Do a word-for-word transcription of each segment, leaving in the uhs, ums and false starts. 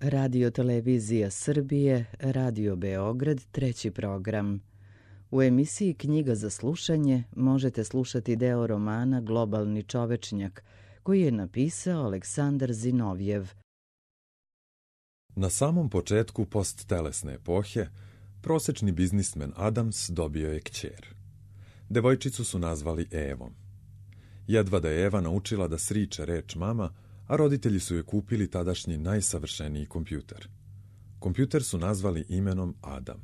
Radio Televizija Srbije, Radio Beograd, treći program. U emisiji Knjiga za slušanje možete slušati deo romana Globalni čovečnjak, koji je napisao Aleksandar Zinovjev. Na samom početku posttelesne epohe, prosečni biznismen Adams dobio je kćer. Devojčicu su nazvali Evom. Jedva da je Eva naučila da sriče reč mama, a roditelji su joj kupili tadašnji najsavršeniji kompjuter. Kompjuter su nazvali imenom Adam.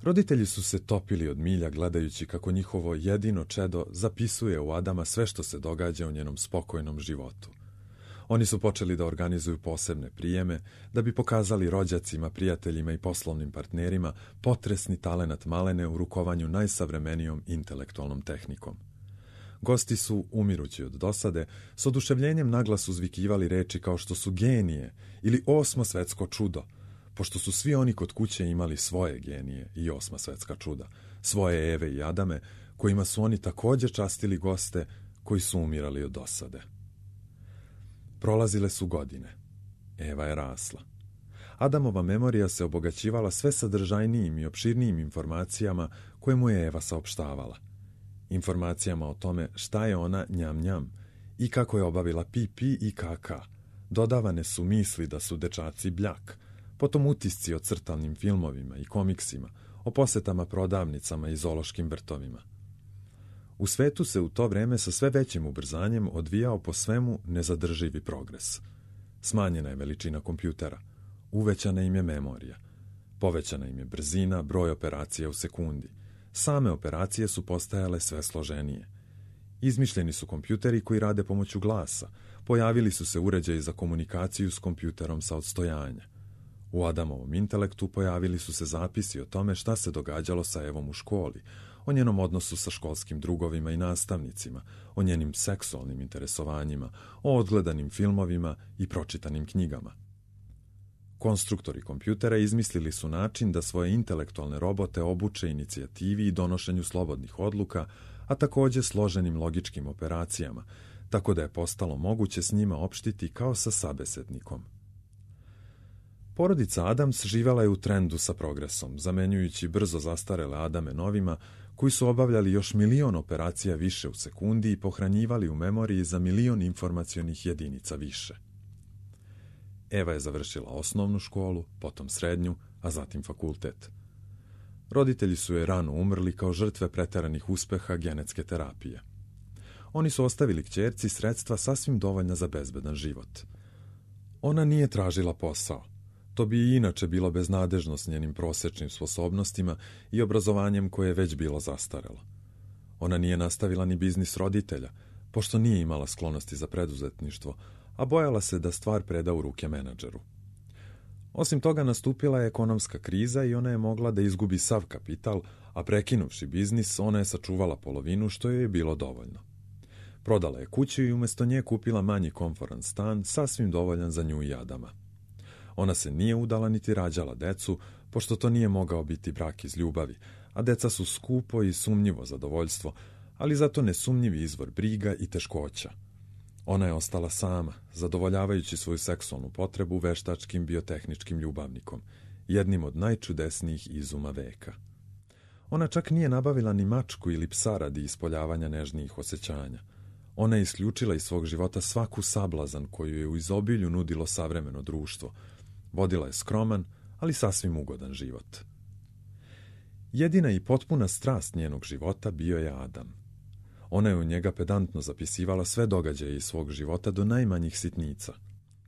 Roditelji su se topili od milja gledajući kako njihovo jedino čedo zapisuje u Adama sve što se događa u njenom spokojnom životu. Oni su počeli da organizuju posebne prijeme da bi pokazali rođacima, prijateljima i poslovnim partnerima potresni talenat malene u rukovanju najsavremenijom intelektualnom tehnikom. Gosti su, umirući od dosade, s oduševljenjem naglas uzvikivali reči kao što su genije ili osmo svetsko čudo, pošto su svi oni kod kuće imali svoje genije i osma svetska čuda, svoje Eve i Adame, kojima su oni također častili goste koji su umirali od dosade. Prolazile su godine. Eva je rasla. Adamova memorija se obogaćivala sve sadržajnijim i opširnijim informacijama koje mu je Eva saopštavala. Informacijama o tome šta je ona njam njam i kako je obavila pipi i kaka. Dodavane su misli da su dečaci bljak, potom utisci o crtanim filmovima i komiksima, o posetama prodavnicama i zoološkim vrtovima. U svetu se u to vreme sa sve većim ubrzanjem odvijao po svemu nezadrživi progres. Smanjena je veličina kompjutera, uvećana im je memorija, povećana im je brzina, broj operacija u sekundi. Same operacije su postajale sve složenije. Izmišljeni su kompjuteri koji rade pomoću glasa, pojavili su se uređaji za komunikaciju s kompjuterom sa odstojanja. U Adamovom intelektu pojavili su se zapisi o tome šta se događalo sa Evom u školi, o njenom odnosu sa školskim drugovima i nastavnicima, o njenim seksualnim interesovanjima, o odgledanim filmovima i pročitanim knjigama. Konstruktori kompjutera izmislili su način da svoje intelektualne robote obuče inicijativi i donošenju slobodnih odluka, a također složenim logičkim operacijama, tako da je postalo moguće s njima opštiti kao sa sabesetnikom. Porodica Adams živela je u trendu sa progresom, zamenjujući brzo zastarele Adame novima, koji su obavljali još milion operacija više u sekundi i pohranjivali u memoriji za milion informacionih jedinica više. Eva je završila osnovnu školu, potom srednju, a zatim fakultet. Roditelji su je rano umrli kao žrtve preteranih uspeha genetske terapije. Oni su ostavili kćerci sredstva sasvim dovoljna za bezbedan život. Ona nije tražila posao. To bi i inače bilo beznadežno s njenim prosečnim sposobnostima i obrazovanjem koje je već bilo zastarelo. Ona nije nastavila ni biznis roditelja, pošto nije imala sklonosti za preduzetništvo, a bojala se da stvar preda u ruke menadžeru. Osim toga, nastupila je ekonomska kriza i ona je mogla da izgubi sav kapital, a prekinuvši biznis, ona je sačuvala polovinu, što joj je bilo dovoljno. Prodala je kuću i umjesto nje kupila manji komforan stan, sasvim dovoljan za nju i Adama. Ona se nije udala niti rađala decu, pošto to nije mogao biti brak iz ljubavi, a deca su skupo i sumnjivo zadovoljstvo, ali zato nesumnjivi izvor briga i teškoća. Ona je ostala sama, zadovoljavajući svoju seksualnu potrebu veštačkim biotehničkim ljubavnikom, jednim od najčudesnijih izuma veka. Ona čak nije nabavila ni mačku ili psa radi ispoljavanja nežnijih osjećanja. Ona je isključila iz svog života svaku sablazan koju je u izobilju nudilo savremeno društvo. Vodila je skroman, ali sasvim ugodan život. Jedina i potpuna strast njenog života bio je Adam. Ona je u njega pedantno zapisivala sve događaje iz svog života do najmanjih sitnica.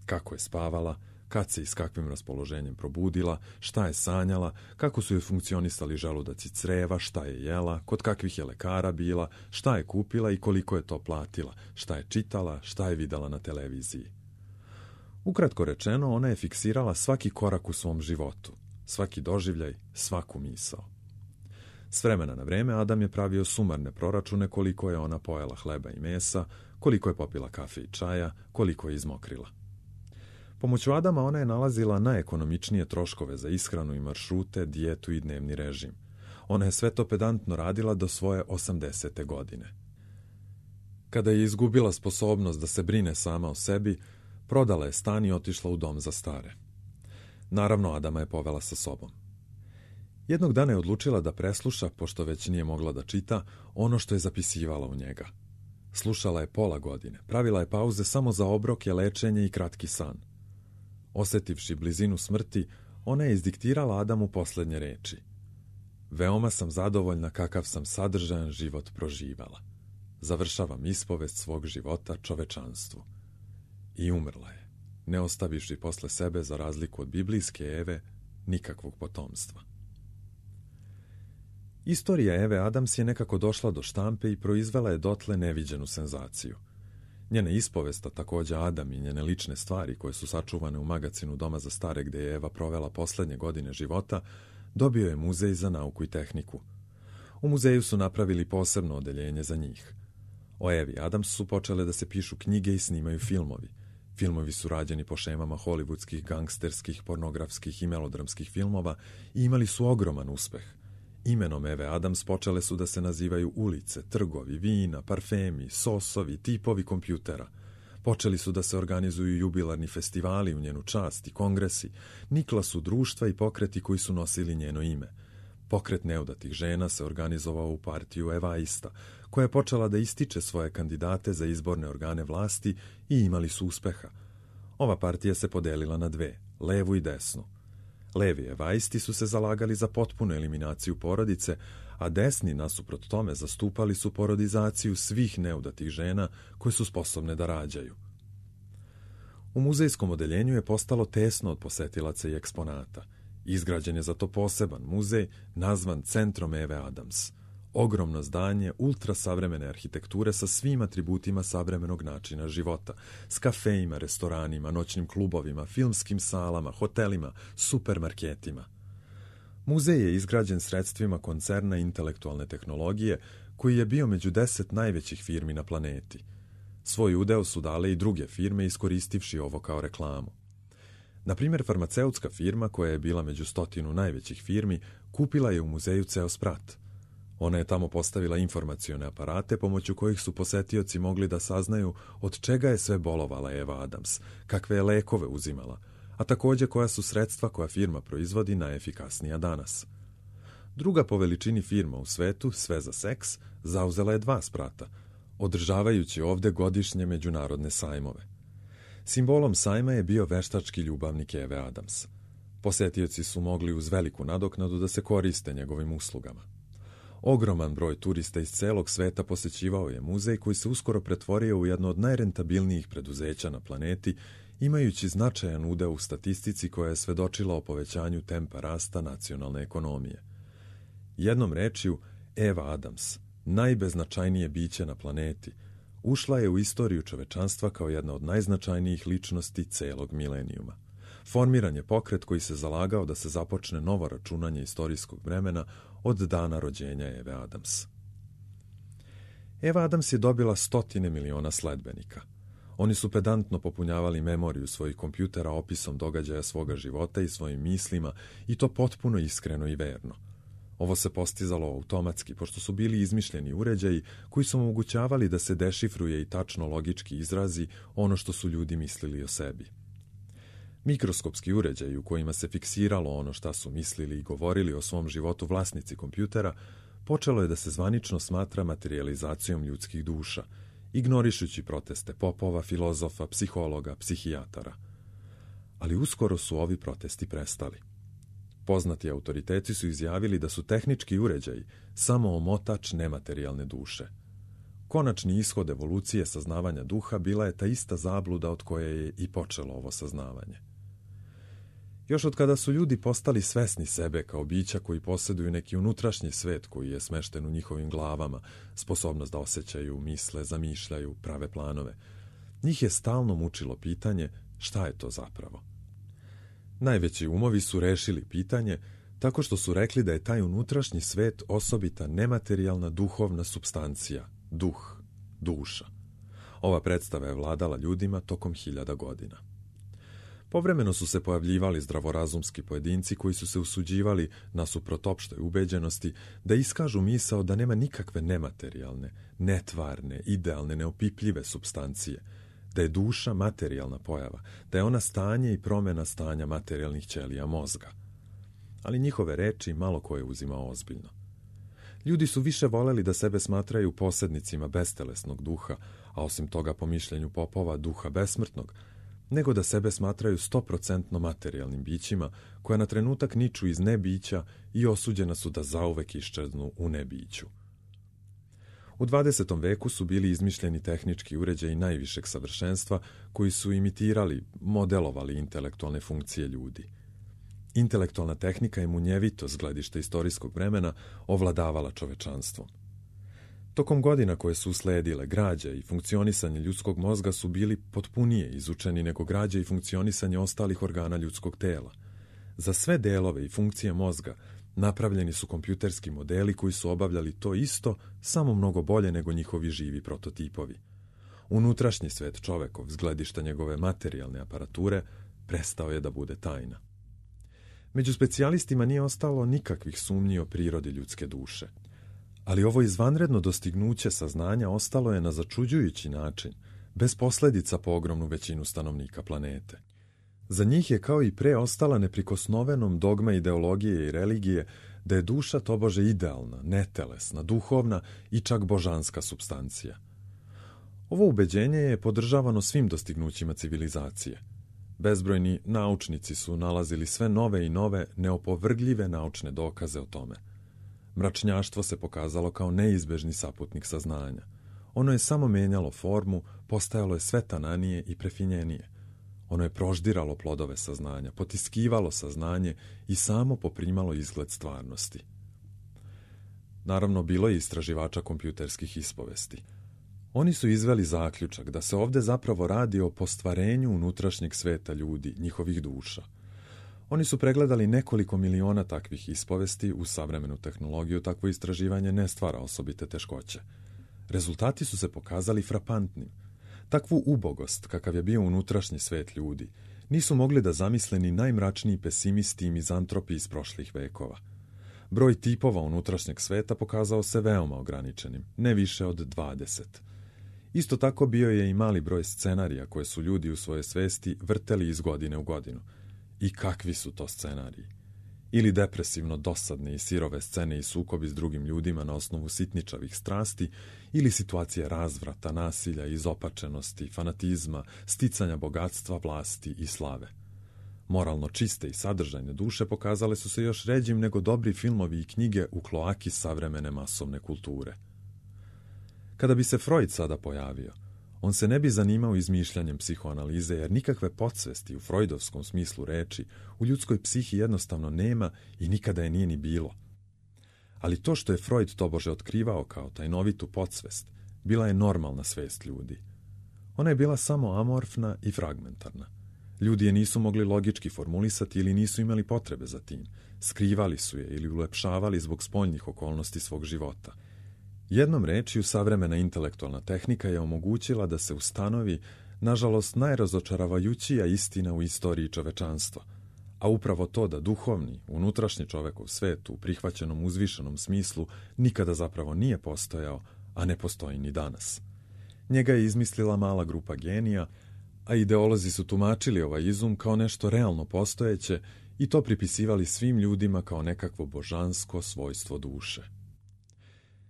Kako je spavala, kad se i s kakvim raspoloženjem probudila, šta je sanjala, kako su joj funkcionisali želudac i creva, šta je jela, kod kakvih je lekara bila, šta je kupila i koliko je to platila, šta je čitala, šta je videla na televiziji. Ukratko rečeno, ona je fiksirala svaki korak u svom životu, svaki doživljaj, svaku misao. S vremena na vreme Adam je pravio sumarne proračune koliko je ona pojela hleba i mesa, koliko je popila kafe i čaja, koliko je izmokrila. Pomoću Adama ona je nalazila najekonomičnije troškove za ishranu i maršrute, dijetu i dnevni režim. Ona je sve to pedantno radila do svoje osamdesete godine. Kada je izgubila sposobnost da se brine sama o sebi, Prodala je stan i otišla u dom za stare. Naravno, Adama je povela sa sobom. Jednog dana je odlučila da presluša, pošto već nije mogla da čita, ono što je zapisivala u njega. Slušala je pola godine, pravila je pauze samo za obroke, lečenje i kratki san. Osetivši blizinu smrti, ona je izdiktirala Adamu posljednje reči. Veoma sam zadovoljna kakav sam sadržajan život proživala. Završavam ispovest svog života čovečanstvu. I umrla je, ne ostavivši posle sebe, za razliku od biblijske Eve, nikakvog potomstva. Istorija Eve Adams je nekako došla do štampe i proizvela je dotle neviđenu senzaciju. Njena ispovesta, također Adam i njene lične stvari koje su sačuvane u magacinu Doma za stare gdje je Eva provela posljednje godine života, dobio je muzej za nauku i tehniku. U muzeju su napravili posebno odeljenje za njih. O Evi Adams su počele da se pišu knjige i snimaju filmovi. Filmovi su rađeni po šemama hollywoodskih, gangsterskih, pornografskih i melodramskih filmova i imali su ogroman uspeh. Imenom Eve Adams počele su da se nazivaju ulice, trgovi, vina, parfemi, sosovi, tipovi kompjutera. Počeli su da se organizuju jubilarni festivali u njenu čast i kongresi. Nikla su društva i pokreti koji su nosili njeno ime. Pokret neudatih žena se organizovao u partiju Evaista, koja je počela da ističe svoje kandidate za izborne organe vlasti i imali su uspeha. Ova partija se podelila na dve, levu i desnu. Levi Evaisti su se zalagali za potpunu eliminaciju porodice, a desni nasuprot tome zastupali su porodizaciju svih neudatih žena koje su sposobne da rađaju. U muzejskom odeljenju je postalo tesno od posetilaca i eksponata. Izgrađen je zato poseban muzej nazvan Centrom Eve Adams. Ogromno zdanje ultrasavremene arhitekture sa svim atributima savremenog načina života, s kafejima, restoranima, noćnim klubovima, filmskim salama, hotelima, supermarketima. Muzej je izgrađen sredstvima koncerna intelektualne tehnologije, koji je bio među deset najvećih firmi na planeti. Svoj udeo su dale i druge firme iskoristivši ovo kao reklamu. Na primjer, farmaceutska firma, koja je bila među stotinu najvećih firmi, kupila je u muzeju ceo sprat. Ona je tamo postavila informacione aparate pomoću kojih su posetioci mogli da saznaju od čega je sve bolovala Eva Adams, kakve je lekove uzimala, a također koja su sredstva koja firma proizvodi najefikasnija danas. Druga po veličini firma u svetu, sve za seks, zauzela je dva sprata, održavajući ovdje godišnje međunarodne sajmove. Simbolom sajma je bio veštački ljubavnik Eve Adams. Posetioci su mogli uz veliku nadoknadu da se koriste njegovim uslugama. Ogroman broj turista iz celog sveta posećivao je muzej koji se uskoro pretvorio u jedno od najrentabilnijih preduzeća na planeti, imajući značajan udeo u statistici koja je svedočila o povećanju tempa rasta nacionalne ekonomije. Jednom rečju, Eva Adams, najbeznačajnije biće na planeti, ušla je u istoriju čovečanstva kao jedna od najznačajnijih ličnosti celog milenijuma. Formiran je pokret koji se zalagao da se započne novo računanje istorijskog vremena od dana rođenja Eve Adams. Eva Adams je dobila stotine miliona sledbenika. Oni su pedantno popunjavali memoriju svojih kompjutera opisom događaja svoga života i svojim mislima, i to potpuno iskreno i verno. Ovo se postizalo automatski, pošto su bili izmišljeni uređaji koji su omogućavali da se dešifruje i tačno logički izrazi ono što su ljudi mislili o sebi. Mikroskopski uređaji u kojima se fiksiralo ono šta su mislili i govorili o svom životu vlasnici kompjutera, počelo je da se zvanično smatra materijalizacijom ljudskih duša, ignorišući proteste popova, filozofa, psihologa, psihijatara. Ali uskoro su ovi protesti prestali. Poznati autoriteti su izjavili da su tehnički uređaji samo omotač nematerijalne duše. Konačni ishod evolucije saznavanja duha bila je ta ista zabluda od koje je i počelo ovo saznavanje. Još od kada su ljudi postali svesni sebe kao bića koji posjeduju neki unutrašnji svet koji je smešten u njihovim glavama, sposobnost da osjećaju, misle, zamišljaju, prave planove, njih je stalno mučilo pitanje šta je to zapravo. Najveći umovi su rešili pitanje tako što su rekli da je taj unutrašnji svet osobita nematerijalna duhovna supstancija, duh, duša. Ova predstava je vladala ljudima tokom hiljada godina. Povremeno su se pojavljivali zdravorazumski pojedinci koji su se usuđivali, nasuprot opštoj ubeđenosti, da iskažu misao da nema nikakve nematerijalne, netvarne, idealne, neopipljive supstancije, da je duša materijalna pojava, da je ona stanje i promjena stanja materijalnih ćelija mozga. Ali njihove reči malo ko je uzimao ozbiljno. Ljudi su više voleli da sebe smatraju posjednicima bestelesnog duha, a osim toga po mišljenju popova duha besmrtnog, nego da sebe smatraju stoprocentno materijalnim bićima koja na trenutak niču iz nebića i osuđena su da zauvek iščeznu u nebiću. U dvadesetom veku su bili izmišljeni tehnički uređaji najvišeg savršenstva koji su imitirali, modelovali intelektualne funkcije ljudi. Intelektualna tehnika je munjevito s gledišta istorijskog vremena ovladavala čovečanstvom. Tokom godina koje su usledile, građa i funkcionisanje ljudskog mozga su bili potpunije izučeni nego građa i funkcionisanje ostalih organa ljudskog tela. Za sve delove i funkcije mozga napravljeni su kompjuterski modeli koji su obavljali to isto, samo mnogo bolje nego njihovi živi prototipovi. Unutrašnji svet čovekov, s gledišta njegove materijalne aparature, prestao je da bude tajna. Među specijalistima nije ostalo nikakvih sumnji o prirodi ljudske duše. Ali ovo izvanredno dostignuće saznanja ostalo je na začuđujući način, bez posljedica po ogromnu većinu stanovnika planete. Za njih je kao i pre ostala neprikosnovenom dogma ideologije i religije da je duša tobože idealna, netelesna, duhovna i čak božanska supstancija. Ovo ubeđenje je podržavano svim dostignućima civilizacije. Bezbrojni naučnici su nalazili sve nove i nove, neopovrgljive naučne dokaze o tome. Mračnjaštvo se pokazalo kao neizbežni saputnik saznanja. Ono je samo menjalo formu, postajalo je sve tananije i prefinjenije. Ono je proždiralo plodove saznanja, potiskivalo saznanje i samo poprimalo izgled stvarnosti. Naravno, bilo je istraživača kompjuterskih ispovesti. Oni su izveli zaključak da se ovdje zapravo radi o postvarenju unutrašnjeg sveta ljudi, njihovih duša. Oni su pregledali nekoliko miliona takvih ispovesti. U savremenu tehnologiju takvo istraživanje ne stvara osobite teškoće. Rezultati su se pokazali frapantnim. Takvu ubogost, kakav je bio unutrašnji svet ljudi, nisu mogli da zamisle ni najmračniji pesimisti i mizantropi iz prošlih vekova. Broj tipova unutrašnjeg sveta pokazao se veoma ograničenim, ne više od dvadeset. Isto tako bio je i mali broj scenarija koje su ljudi u svojoj svesti vrteli iz godine u godinu. I kakvi su to scenariji? Ili depresivno dosadne i sirove scene i sukobi s drugim ljudima na osnovu sitničavih strasti, ili situacije razvrata, nasilja, izopačenosti, fanatizma, sticanja bogatstva, vlasti i slave. Moralno čiste i sadržajne duše pokazale su se još ređim nego dobri filmovi i knjige u kloaki savremene masovne kulture. Kada bi se Freud sada pojavio, on se ne bi zanimao izmišljanjem psihoanalize, jer nikakve podsvesti u freudovskom smislu reči u ljudskoj psihi jednostavno nema i nikada je nije ni bilo. Ali to što je Freud tobože otkrivao kao tajnovitu podsvest, bila je normalna svest ljudi. Ona je bila samo amorfna i fragmentarna. Ljudi je nisu mogli logički formulisati ili nisu imali potrebe za tim. Skrivali su je ili ulepšavali zbog spoljnih okolnosti svog života. Jednom rečju, savremena intelektualna tehnika je omogućila da se ustanovi, nažalost, najrazočaravajućija istina u istoriji čovečanstva, a upravo to da duhovni, unutrašnji čovekov svet u prihvaćenom uzvišenom smislu nikada zapravo nije postojao, a ne postoji ni danas. Njega je izmislila mala grupa genija, a ideolozi su tumačili ovaj izum kao nešto realno postojeće i to pripisivali svim ljudima kao nekakvo božansko svojstvo duše.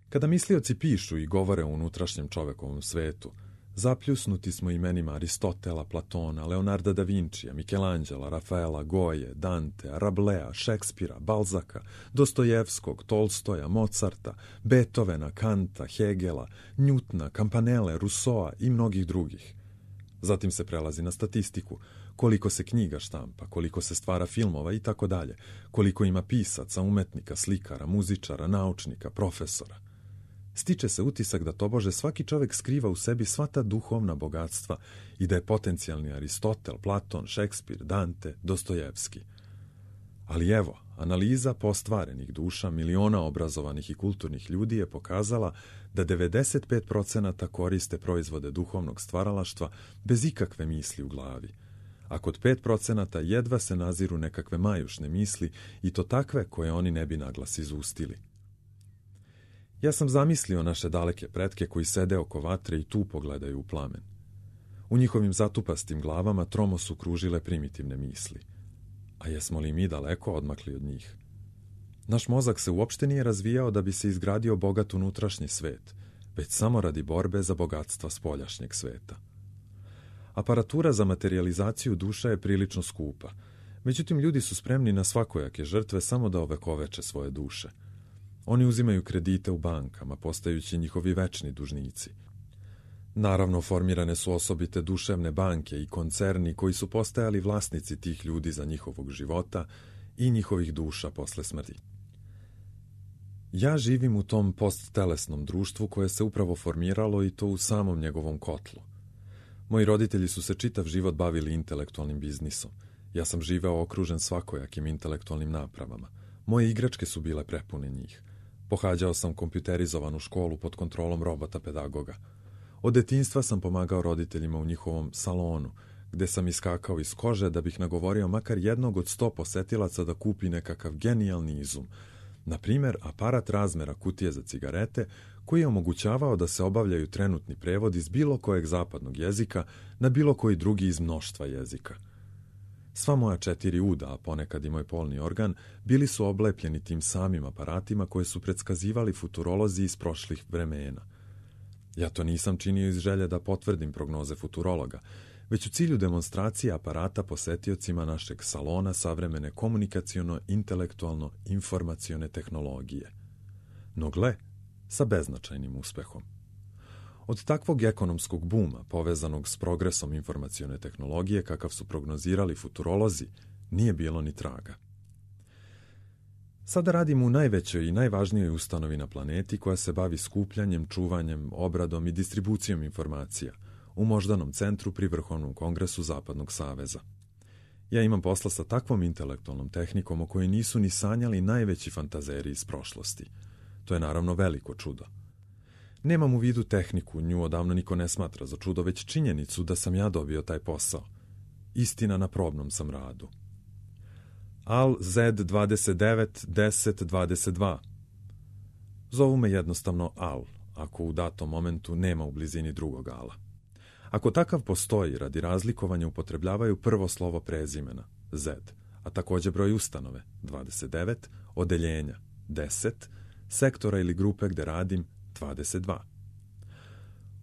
Kada mislioci pišu i govore o unutrašnjem čovekovom svetu, zapljusnuti smo imenima Aristotela, Platona, Leonarda da Vincija, Michelangela, Rafaela, Goje, Dante, Rablea, Šekspira, Balzaka, Dostojevskog, Tolstoja, Mozarta, Beethovena, Kanta, Hegela, Njutna, Campanelle, Rousseaua i mnogih drugih. Zatim se prelazi na statistiku, koliko se knjiga štampa, koliko se stvara filmova i tako dalje, koliko ima pisaca, umetnika, slikara, muzičara, naučnika, profesora. Stiče se utisak da tobože svaki čovjek skriva u sebi sva ta duhovna bogatstva i da je potencijalni Aristotel, Platon, Šekspir, Dante, Dostojevski. Ali evo, analiza postvarenih duša miliona obrazovanih i kulturnih ljudi je pokazala da devedeset pet procenata koriste proizvode duhovnog stvaralaštva bez ikakve misli u glavi, a kod pet procenata jedva se naziru nekakve majušne misli i to takve koje oni ne bi naglas izustili. Ja sam zamislio naše daleke pretke koji sede oko vatre i tu pogledaju u plamen. U njihovim zatupastim glavama tromo su kružile primitivne misli. A jesmo li mi daleko odmakli od njih? Naš mozak se uopšte nije razvijao da bi se izgradio bogat unutrašnji svet, već samo radi borbe za bogatstva spoljašnjeg sveta. Aparatura za materijalizaciju duša je prilično skupa, međutim ljudi su spremni na svakojake žrtve samo da ovekoveče svoje duše. Oni uzimaju kredite u bankama, postajući njihovi večni dužnici. Naravno, formirane su osobite duševne banke i koncerni koji su postajali vlasnici tih ljudi za njihovog života i njihovih duša posle smrti. Ja živim u tom posttelesnom društvu koje se upravo formiralo i to u samom njegovom kotlu. Moji roditelji su se čitav život bavili intelektualnim biznisom. Ja sam živeo okružen svakojakim intelektualnim napravama. Moje igračke su bile prepune njih. Pohađao sam kompjuterizovanu školu pod kontrolom robota pedagoga. Od detinjstva sam pomagao roditeljima u njihovom salonu, gde sam iskakao iz kože da bih nagovorio makar jednog od sto posetilaca da kupi nekakav genijalni izum. Na primjer, aparat razmera kutije za cigarete, koji je omogućavao da se obavljaju trenutni prevod iz bilo kojeg zapadnog jezika na bilo koji drugi iz mnoštva jezika. Sva moja četiri uda, a ponekad i moj polni organ, bili su oblepljeni tim samim aparatima koje su predskazivali futurolozi iz prošlih vremena. Ja to nisam činio iz želje da potvrdim prognoze futurologa, već u cilju demonstracije aparata posetiocima našeg salona savremene komunikaciono-intelektualno-informacione tehnologije. No gle, sa beznačajnim uspehom. Od takvog ekonomskog buma, povezanog s progresom informacione tehnologije, kakav su prognozirali futurolozi, nije bilo ni traga. Sada radim u najvećoj i najvažnijoj ustanovi na planeti koja se bavi skupljanjem, čuvanjem, obradom i distribucijom informacija, u moždanom centru pri Vrhovnom kongresu Zapadnog saveza. Ja imam posla sa takvom intelektualnom tehnikom o kojoj nisu ni sanjali najveći fantazeri iz prošlosti. To je naravno veliko čudo. Nemam u vidu tehniku, nju odavno niko ne smatra za čudo, već činjenicu da sam ja dobio taj posao. Istina, na probnom sam radu. A L Z dvadeset devet deset dvadeset dva. Zovu me jednostavno A L, ako u datom momentu nema u blizini drugog A-la. Ako takav postoji, radi razlikovanja upotrebljavaju prvo slovo prezimena, Z, a također broj ustanove, dvadeset devet, odeljenja, deset, sektora ili grupe gde radim, dvadeset dva.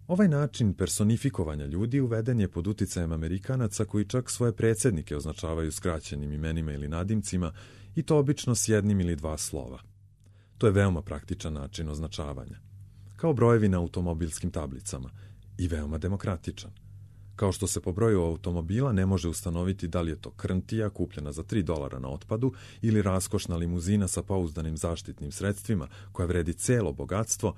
Ovaj način personifikovanja ljudi uveden je pod uticajem Amerikanaca koji čak svoje predsjednike označavaju skraćenim imenima ili nadimcima i to obično s jednim ili dva slova. To je veoma praktičan način označavanja. Kao brojevi na automobilskim tablicama i veoma demokratičan. Kao što se po broju automobila ne može ustanoviti da li je to krntija kupljena za tri dolara na otpadu ili raskošna limuzina sa pouzdanim zaštitnim sredstvima koja vredi celo bogatstvo,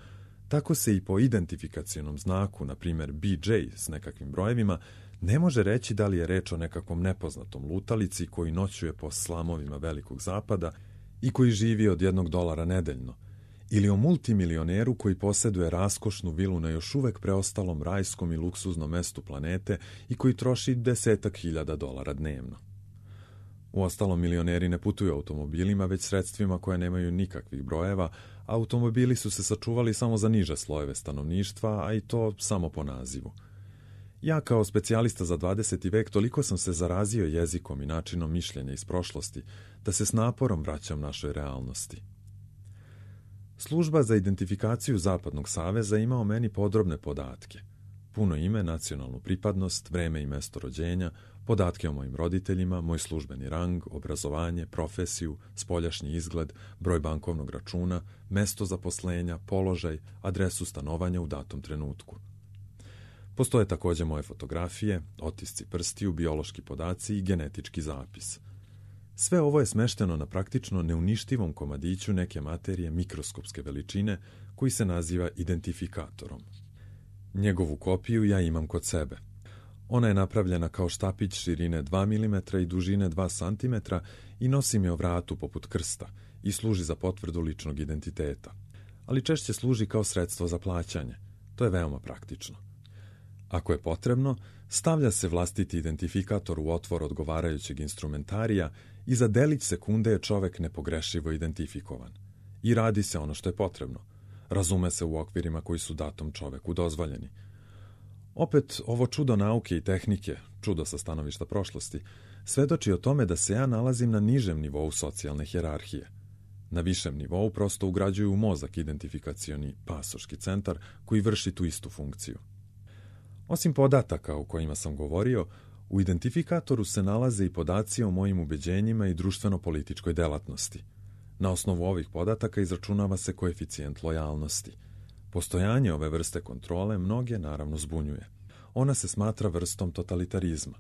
tako se i po identifikacionom znaku, na primjer B J s nekakvim brojevima, ne može reći da li je reč o nekakvom nepoznatom lutalici koji noćuje po slamovima Velikog zapada i koji živi od jednog dolara nedeljno, ili o multimilioneru koji posjeduje raskošnu vilu na još uvek preostalom rajskom i luksuznom mestu planete i koji troši desetak hiljada dolara dnevno. Uostalom, milioneri ne putuju automobilima, već sredstvima koje nemaju nikakvih brojeva, a automobili su se sačuvali samo za niže slojeve stanovništva, a i to samo po nazivu. Ja kao specijalista za dvadeseti vek toliko sam se zarazio jezikom i načinom mišljenja iz prošlosti, da se s naporom vraćam našoj realnosti. Služba za identifikaciju Zapadnog saveza ima o meni podrobne podatke. Puno ime, nacionalnu pripadnost, vreme i mesto rođenja, podatke o mojim roditeljima, moj službeni rang, obrazovanje, profesiju, spoljašnji izgled, broj bankovnog računa, mesto zaposlenja, položaj, adresu stanovanja u datom trenutku. Postoje također moje fotografije, otisci prstiju, biološki podaci i genetički zapis. Sve ovo je smešteno na praktično neuništivom komadiću neke materije mikroskopske veličine koji se naziva identifikatorom. Njegovu kopiju ja imam kod sebe. Ona je napravljena kao štapić širine dva milimetra i dužine dva centimetra i nosim je o vratu poput krsta i služi za potvrdu ličnog identiteta. Ali češće služi kao sredstvo za plaćanje. To je veoma praktično. Ako je potrebno, stavlja se vlastiti identifikator u otvor odgovarajućeg instrumentarija i za delić sekunde je čovek nepogrešivo identifikovan. I radi se ono što je potrebno. Razume se u okvirima koji su datom čoveku dozvoljeni. Opet, ovo čudo nauke i tehnike, čudo sa stanovišta prošlosti, svedoči o tome da se ja nalazim na nižem nivou socijalne hijerarhije. Na višem nivou prosto ugrađuju u mozak identifikacioni pasoški centar koji vrši tu istu funkciju. Osim podataka o kojima sam govorio, u identifikatoru se nalaze i podaci o mojim ubeđenjima i društveno-političkoj delatnosti. Na osnovu ovih podataka izračunava se koeficijent lojalnosti. Postojanje ove vrste kontrole mnoge naravno zbunjuje. Ona se smatra vrstom totalitarizma.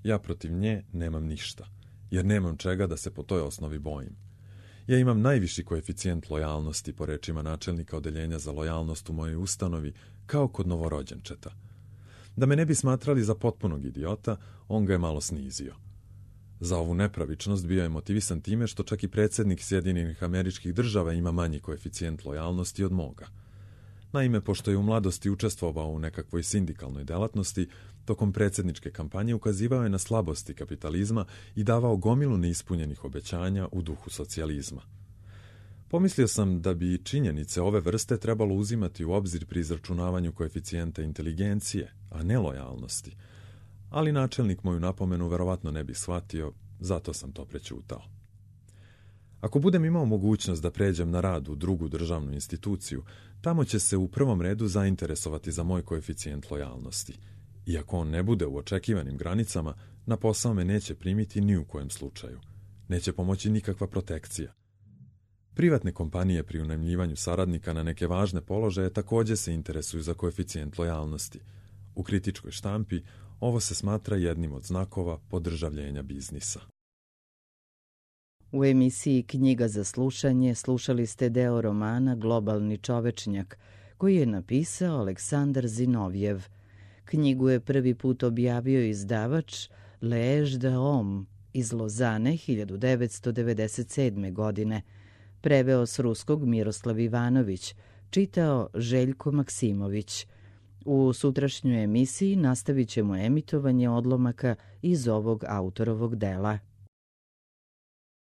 Ja protiv nje nemam ništa, jer nemam čega da se po toj osnovi bojim. Ja imam najviši koeficijent lojalnosti po rečima načelnika odeljenja za lojalnost u mojoj ustanovi, kao kod novorođenčeta. Da me ne bi smatrali za potpunog idiota, on ga je malo snizio. Za ovu nepravičnost bio je motivisan time što čak i predsjednik Sjedinjenih Američkih Država ima manji koeficijent lojalnosti od moga. Naime, pošto je u mladosti učestvovao u nekakvoj sindikalnoj delatnosti, tokom predsjedničke kampanje ukazivao je na slabosti kapitalizma i davao gomilu neispunjenih obećanja u duhu socijalizma. Pomislio sam da bi činjenice ove vrste trebalo uzimati u obzir pri izračunavanju koeficijenta inteligencije, a ne lojalnosti, ali načelnik moju napomenu verovatno ne bi shvatio, zato sam to prećutao. Ako budem imao mogućnost da pređem na rad u drugu državnu instituciju, tamo će se u prvom redu zainteresovati za moj koeficijent lojalnosti. I ako on ne bude u očekivanim granicama, na posao me neće primiti ni u kojem slučaju. Neće pomoći nikakva protekcija. Privatne kompanije pri unajmljivanju saradnika na neke važne položaje također se interesuju za koeficijent lojalnosti. U kritičkoj štampi ovo se smatra jednim od znakova podržavljenja biznisa. U emisiji Knjiga za slušanje slušali ste deo romana Globalni čovečnjak, koji je napisao Aleksandar Zinovjev. Knjigu je prvi put objavio izdavač L'Age de Homme iz Lozane hiljadu devetsto devedeset sedme. godine. Preveo s ruskog Miroslav Ivanović, čitao Željko Maksimović. U sutrašnjoj emisiji nastavit ćemo emitovanje odlomaka iz ovog autorovog dela.